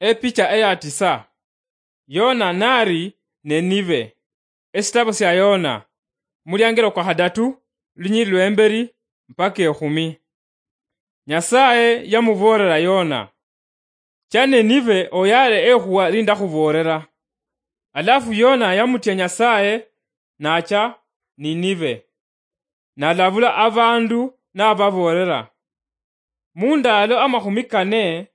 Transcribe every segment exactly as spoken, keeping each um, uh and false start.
Epicha eya tisa. Yona nari Ninive. Esitabo sya Yona, muliangelo kwa khadatu, lunyili lwemberi mpaka ekhumi. Nyasaye yamuboolera Yona, "Cha Ninive oyale ekhuwa lindakhuboolera." Alafu Yona yamutya Nyasaye, nacha Ninive. Nalabula abandu nababoolera, "Mundaalo amakhumi kane,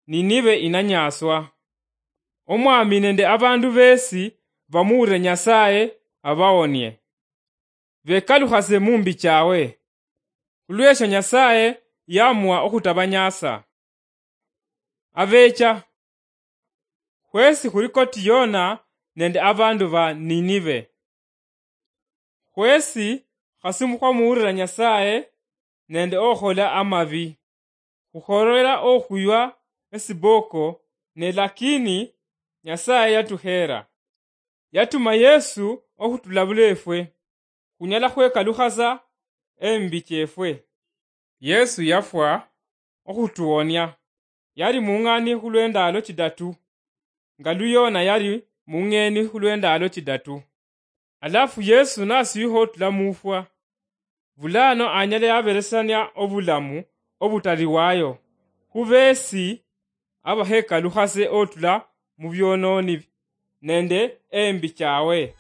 Ninive inanyaswa. Omwami nende abandu besi bamuulire Nyasaye abawonie, bekalukhase mumbi chawe." Khulwesho Nyasaye yamuwa okhutabanyasa. Abecha, khwesi khuli koti Yona nende abandu ba Ninive. Khwesi khasi mukhwamuulira Nyasaye nende okhola amabi. Khukhorera okhuywa esiboko, ne lakini Nyasaye yatukhera. Yatuma Yesu okhutulabula efwe. Khunyala khwekalukhasa embi chefwe. Yesu yafwa okhutuwonia. Yali mung'ani khulwendalo chidatu, nga lu Yona yali mung'eni khulwendalo chidatu. Alafu Yesu nasuyukha otula mufwa, bulano anyala yaberesania obulamu obutaliwayo khubesi abakhekalukhase otula mubyononi nende embi chawe.